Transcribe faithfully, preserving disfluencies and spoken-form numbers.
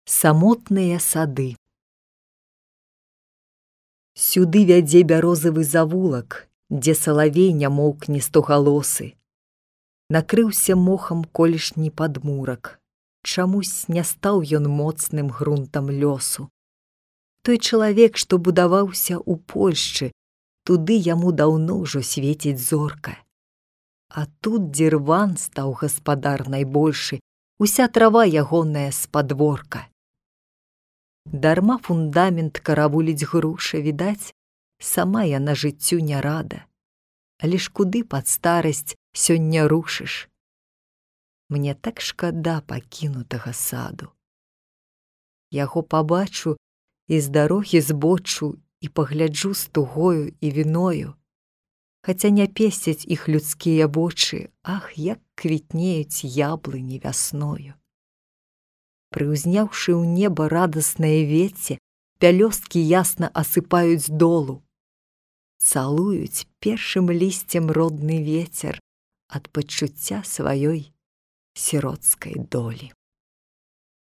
Самотныя сады. Сюды вядзе бярозавы завулак, дзе салавей не моўкне стогалосы. Накрыўся мохам колішні падмурак. Чамусь не стаў ён моцным грунтам лёсу. Той чалавек, што будаваўся ў Польшчы, туды яму даўно ўжо свеціць зорка. А тут дзірван стаў гаспадар найбольшы, уся трава ягоная з падворка. Дарма фундамент каравуліць груша, відаць, сама яна жыццю не рада. Але ж куды пад старасць сёння рушыш? Мне так шкада пакінутага саду. Яго пабачу і з дарогі збочу і пагляджу з тугою і віною. Хаця не песцяць іх людскія вочы, ах, як квітнеюць яблыні вясною. Прыўзняўшы ў неба радаснае вецце, пялёсткі ясна асыпаюць долу. Цалуюць першым лісцем родны вецер ад пачуцця сваёй сіроцкай долі.